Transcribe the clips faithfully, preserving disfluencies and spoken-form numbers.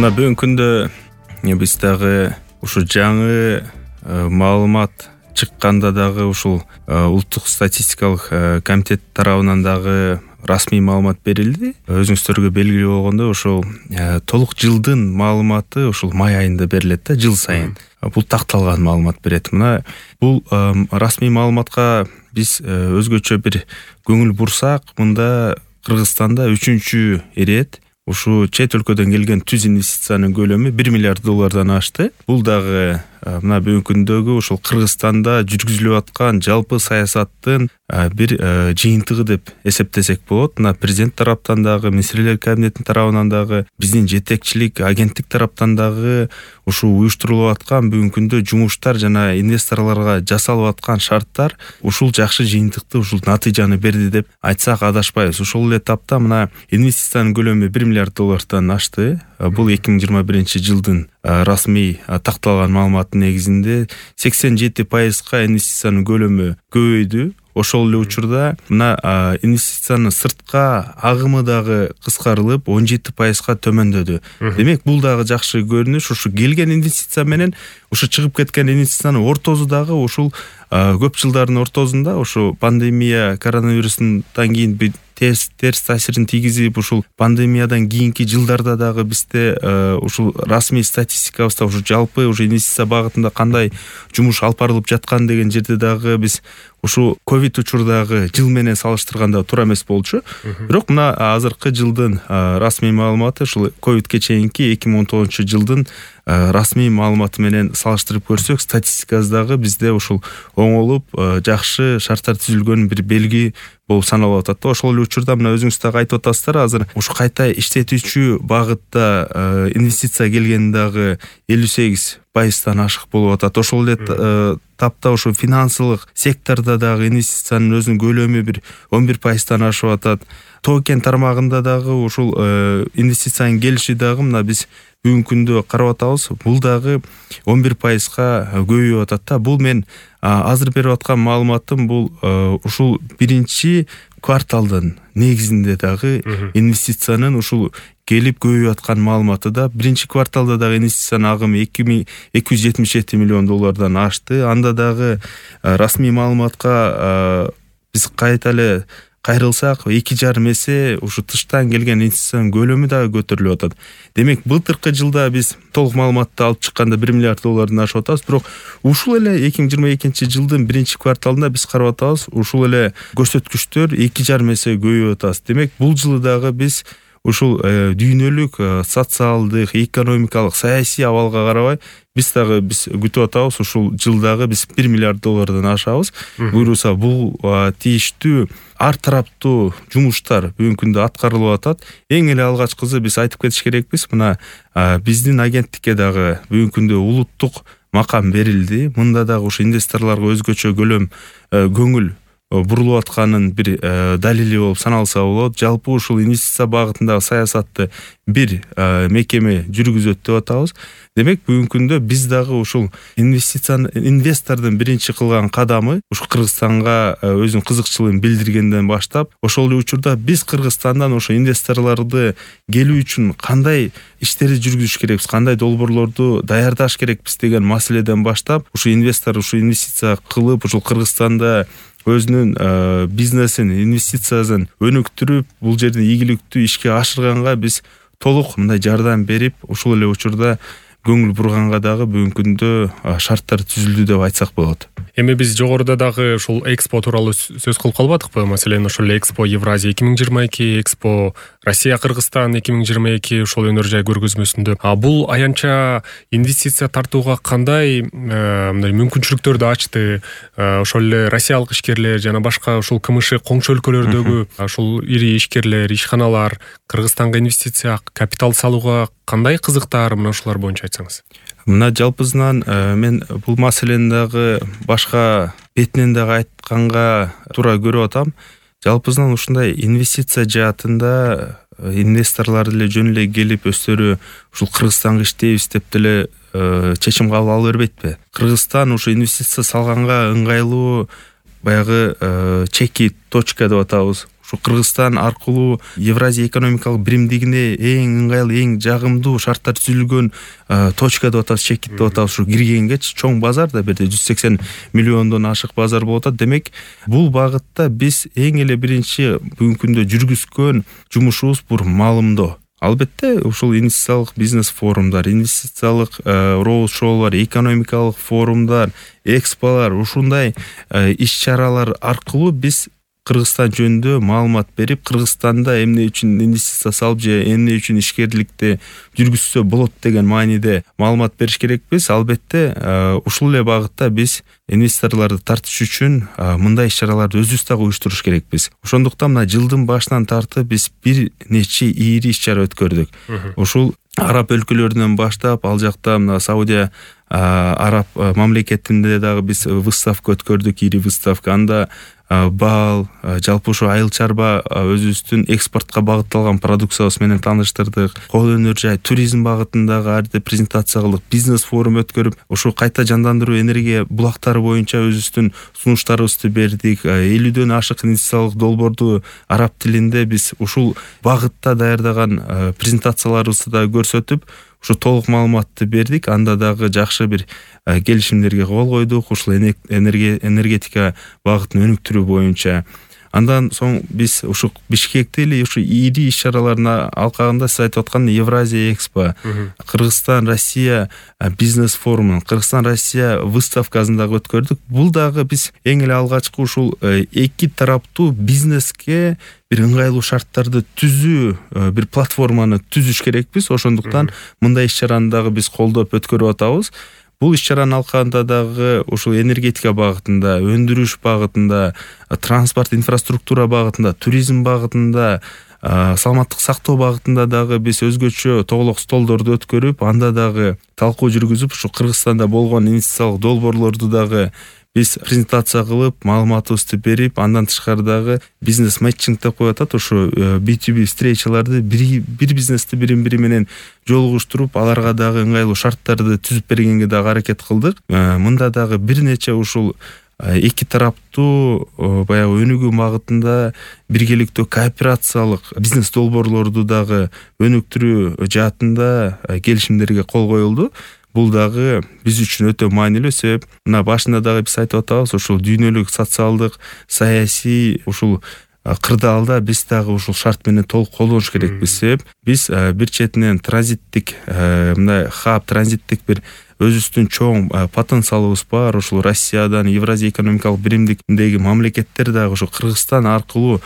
Мына бүгүнкү күндө биз дагы ушу жаңы маалымат чыкканда дагы ушул улуттук статистикалык комитет тарабынан дагы расмий маалымат берилди. Өзүңүздөргө белгилүү болгондой ушул толук жылдын маалыматы ушул май айында берилет да, жыл сайын. Бул такталган маалымат берет. Мына бул расмий маалыматка биз өзгөчө бир көңүл бурсак, мында Кыргызстанда үчүнчү ирет ушу чет өлкөдөн келген түз инвестициянын көлөмү бир миллиард доллардан ашты. Бул дагы мына бүгүнкү күндөгү ушул Кыргызстанда жүргүзүлүп аткан жалпы саясаттын бир жыйынтыгы деп эсептесек болот. Мына президент тараптан дагы, министрлер кабинетинин тарабынан дагы, биздин жетекчилик агенттик тараптан дагы ушул уюштурулуп аткан бүгүнкү күндө жумуштар жана инвесторлорго жасалып аткан шарттар ушул жакшы жыйынтыкты, ушул натыйжаны берди деп айтсак адашпайбыз. Ошол эле тапта мына инвестициянын көлөмү бир миллиард доллардан ашты. Бул эки миң жыйырма биринчи жылдын расмий такталган маалыматтын негизинде сексен жети пайызга инвестициянын көлөмү көбөйдү. Ошол эле учурда мына инвестициянын сыртка агымы дагы кыскарылып он жети пайызга төмөндөдү. Демек бул дагы жакшы көрүнүш. Ушу келген инвестиция менен ушу чыгып кеткен инвестициянын ортосу дагы ушул көп жылдардын ортосунда ушу пандемия, коронавирустан кийин терс терс таасирин тийгизип, ушул пандемиядан кийинки жылдарда дагы бизде ушул расмий статистикабызда ушу жалпы ушу инвестиция багытында кандай жумуш алып барылып жаткан деген жерде дагы биз ушу ковид учурдагы жыл менен салыштырганда туура эмес болчу. Бирок мына азыркы жылдын расмий маалыматы ушул ковидке чейинки эки миң он тогузунчу жылдын расмий маалыматы менен салыштырып көрсөк, статистикабыздагы бизде ушул оңолуп жакшы шарттар түзүлгөн бир белги болуп саналып атат да. Ошол эле учурда мына өзүңүз дагы айтып атасыздар, азыр ушу кайта иштетүүчү багытта инвестиция келгени дагы элүү сегиз пайыздан ашык болуп атат. Ошол эле тапта ушу финансылык сектордо дагы инвестициянын өзүнүн көлөмү бир он бир пайыздан ашып атат. Тоо-кен тармагында дагы ушул инвестициянын келиши дагы мына биз бүгүнкү күндө карап атабыз. Бул дагы он бир пайызга көбөйүп атат да. Бул мен азыр берип аткан маалыматым бул ушул биринчи кварталдын негизинде дагы инвестициянын ушул келип көбөйүп аткан маалыматы да. Биринчи кварталда дагы инвестициянын агымы эки жүз жетимиш жети миллион доллардан ашты. Анда дагы расмий маалыматка биз кайта эле кайрылсак, эки жарым эсе ушу тыштан келген инвестициянын көлөмү дагы көтөрүлүп атат. Демек, былтыркы жылда биз толук маалыматты алып чыкканда бир миллиард доллардан ашып атабыз, бирок ушул эле эки миң жыйырма экинчи жылдын биринчи кварталында биз карап атабыз, ушул эле көрсөткүчтөр эки жарым эсе көбөйүп атат. Демек, бул жылы дагы биз ушул дүйнөлүк социалдык, экономикалык, саясий абалга карабай биз дагы биз күтүп атабыз, ушул жылдагы биз бир миллиард доллардан ашабыз. Буюрса, бул тийиштүү ар тараптуу жумуштар бүгүнкү күндө аткарылып атат. Эң эле алгачкысы биз айтып кетиш керекпиз, мына биздин агенттикке дагы бүгүнкү күндө улуттук макам берилди. Мында дагы ушу инвесторлорго өзгөчө көлөм көңүл бурулуп атканын бир далили болуп саналса болот. Жалпы ушул инвестиция багытындагы саясатты бир мекеме жүргүзөт деп атабыз. Демек, бүгүнкү күндө биз дагы ушул инвестицияны инвестордун биринчи кылган кадамы ушу Кыргызстанга өзүнүн кызыкчылыгын билдиргенден баштап, ошол эле учурда биз Кыргызстандан ошо инвесторлорду келүү үчүн кандай иштерди жүргүзүш керекпиз, кандай долбоорлорду даярдаш керекпиз деген маселеден баштап, ушу инвестор ушу инвестиция кылып, ушул Кыргызстанда өзүнүн бизнесин, инвестициясын өнүктүрүп, бул жерде ийгиликтүү ишке ашырганга биз толук мындай жардам берип, ушул эле учурда көңүл бурганга дагы бүгүнкү күндө шарттар түзүлдү деп айтсак болот. Эми биз жогоруда дагы ушул экспо тууралуу сөз кылып калбадыкпы? Маселен, ошол экспо Евразия эки миң жыйырма эки, экспо Россия Кыргызстан эки миң жыйырма эки ушул өнөр жай көргөзмөсүндө. А бул аянча инвестиция тартууга кандай мындай мүмкүнчүлүктөрдү ачты? Ошол эле россиялык ишкерлер жана башка ушул КМШ коңшу өлкөлөрдөгү ушул ири ишкерлер, ишканалар Кыргызстанга инвестиция, капитал салууга кандай кызыктар, мына ушулар боюнча айтсаңыз. Мына жалпысынан мен бул маселени дагы башка бетинен дагы айтканга туура көрүп атам. Жалпысынан ушундай инвестиция жаатында инвесторлор эле жөн эле келип өздөрү ушул Кыргызстанга иштейбиз деп деле чечим кабыл ала бербейтпи? Кыргызстан ушу инвестиция салганга ыңгайлуу баягы чеки точка деп атабыз. ушу Кыргызстан аркылуу Евразия экономикалык биримдигине эң ыңгайлуу, эң жагымдуу шарттар түзүлгөн точка деп атабыз, чекит деп атабыз, ушу киргенгечи чоң базар да, бир жүз сексен миллиондон ашык базар болуп атат. Демек, бул багытта биз эң эле биринчи бүгүнкү күндө жүргүзгөн жумушубуз бул маалымдоо. Албетте, ушул инвестициялык бизнес форумдар, инвестициялык роуд-шоулар, экономикалык форумдар, эксполар, ушундай иш-чаралар аркылуу биз Кыргызстан жөнүндө маалымат берип, Кыргызстанда эмне үчүн инвестиция салып же эмне үчүн ишкерликти жүргүзсө болот деген мааниде маалымат бериш керекпиз. Албетте, ушул эле багытта биз инвесторлорду тартыш үчүн мындай иш-чараларды өзүбүз дагы уюштуруш керекпиз. Ошондуктан мына жылдын башынан тартып биз бир нече ийри иш-чара өткөрдүк. Ушул араб өлкөлөрүнөн баштап, ал жакта мына Саудия араб мамлекетинде дагы биз выставка өткөрдүк, ийри выставка. Анда бал, жалпы ушу айыл чарба өзүбүздүн экспортко багытталган продукциябыз менен тааныштырдык. Кол өнөр жай, туризм багытындагы арды презентация кылдык. Бизнес форум өткөрүп, ушу кайта жандандыруу энергия булактары боюнча өзүбүздүн сунуштарыбызды бердик. элүүдөн ашык инвестициялык долбоорду араб тилинде биз ушул багытта даярдаган презентацияларыбызды да көрсөтүп, ушу толук маалыматты бердик. Анда дагы жакшы бир келишимдерге кол койдук, ушул энергетика багытын өнүктүрүү боюнча. Андан соң биз ушу Бишкекте эле ушу ийри иш-чаралардын алкагында сиз айтып аткан Евразия экспо, Кыргызстан Россия бизнес форумун, Кыргызстан Россия выставкасын дагы өткөрдүк. Бул дагы биз эң эле алгачкы ушул эки тараптуу бизнеске бир ыңгайлуу шарттарды түзүү, бир платформаны түзүш керекпиз. Ошондуктан мындай иш-чараны дагы биз колдоп өткөрүп атабыз. Бул иш-чаранын алкагында дагы ушул энергетика багытында, өндүрүш багытында, транспорт инфраструктура багытында, туризм багытында, саламаттык сактоо багытында дагы биз өзгөчө тоголок столдорду өткөрүп, анда дагы талкуу жүргүзүп, ушу Кыргызстанда болгон инвестициялык долбоорлорду дагы биз презентация кылып, маалыматыбызды берип, андан тышкары дагы бизнес матчинг деп коюп атат. Ушу би ту би встречаларды бир бизнести бирин-бири менен жолугуштуруп, аларга дагы ыңгайлуу шарттарды түзүп бергенге дагы аракет кылдык. Мында дагы бир нече ушул эки тараптуу баягы өнүгүү багытында биргеликтүү кооперациялык бизнес долбоорлорду дагы өнүктүрүү жаатында келишимдерге кол коюлду. Бул дагы биз үчүн өтө маанилүү, себеп мына башында дагы биз айтып атабыз, ушул дүйнөлүк социалдык, саясий ушул кырдаалда биз дагы ушул шарт менен толук колдонуш керекпиз. Себеп биз бир четинен транзиттик, мындай хаб, транзиттик бир өзүбүздүн чоң потенциалыбыз бар. Ушул Россиядан, Евразия экономикалык биримдигиндеги мамлекеттер дагы ушул Кыргызстан аркылуу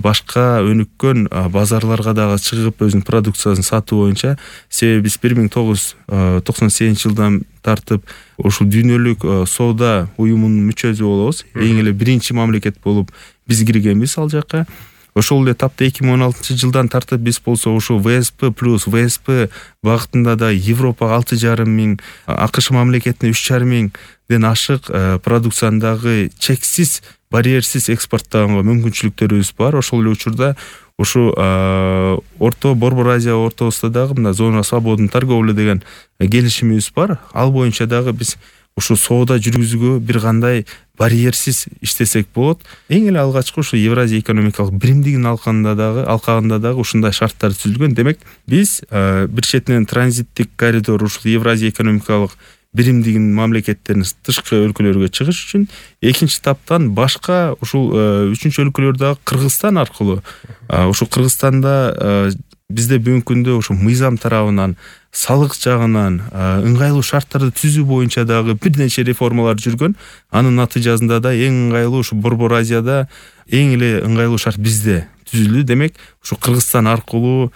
башка өнүккөн базарларга дагы чыгып өзүнүн продукциясын сатуу боюнча. Себеби биз бир миң тогуз жүз токсон сегизинчи жылдан тартып ушул дүйнөлүк соода уюмунун мүчөсү болобуз. Эң эле биринчи мамлекет болуп биз киргенбиз ал жакка. Ошол эле тапта эки миң он алтынчы жылдан тартып биз болсо ушул вэ эс пэ плюс вэ эс пэ багытында да Европага алты жарым миң, АКШ мамлекетине үч жарым миңден ашык продукцияндагы чексиз, барьерсиз экспорттоого мүмкүнчүлүктөрүбүз бар. Ошол эле учурда ушу Орто Борбор Азия ортосунда дагы мына зона свободной торговли деген келишимибиз бар. Ал боюнча дагы биз ушу соода жүргүзүүгө бир кандай барьерсиз иштесек болот. Эң эле алгачкы ушу Евразия экономикалык биримдигинин алкагында дагы алкагында дагы ушундай шарттар түзүлгөн. Демек, биз бир четинен транзиттик коридор ушул Евразия экономикалык биримдигинин мамлекеттеринин тышкы өлкөлөргө чыгыш үчүн, экинчи таптан башка ушул үчүнчү өлкөлөр дагы Кыргызстан аркылуу, ушул Кыргызстанда бизде бүгүнкү күндө ушу мыйзам тарабынан, салык жагынан ыңгайлуу шарттарды түзүү боюнча дагы бир нече реформалар жүргөн. Анын натыйжасында да эң ыңгайлуу ушу Борбор Азияда эң эле ыңгайлуу шарт бизде түзүлдү. Демек, ушу Кыргызстан аркылуу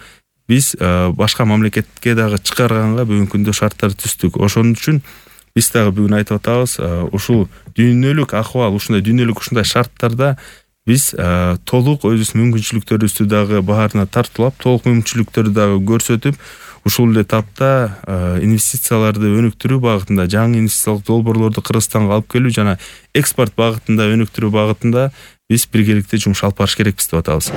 биз башка мамлекетке дагы чыгарганга бүгүнкү күндө шарттарды түздүк. Ошон үчүн биз дагы бүгүн айтып атабыз, ушул дүйнөлүк акыбал, ушундай дүйнөлүк ушундай шарттарда биз толук өзүбүздүн мүмкүнчүлүктөрүбүздү дагы баарына тартуулап, толук мүмкүнчүлүктөрдү дагы көрсөтүп, ушул эле тапта инвестицияларды өнүктүрүү багытында, жаңы инвестициялык долбоорлорду Кыргызстанга алып келүү жана экспорт багытында өнүктүрүү багытында биз биргеликте жумуш алып барыш керекпиз деп атабыз.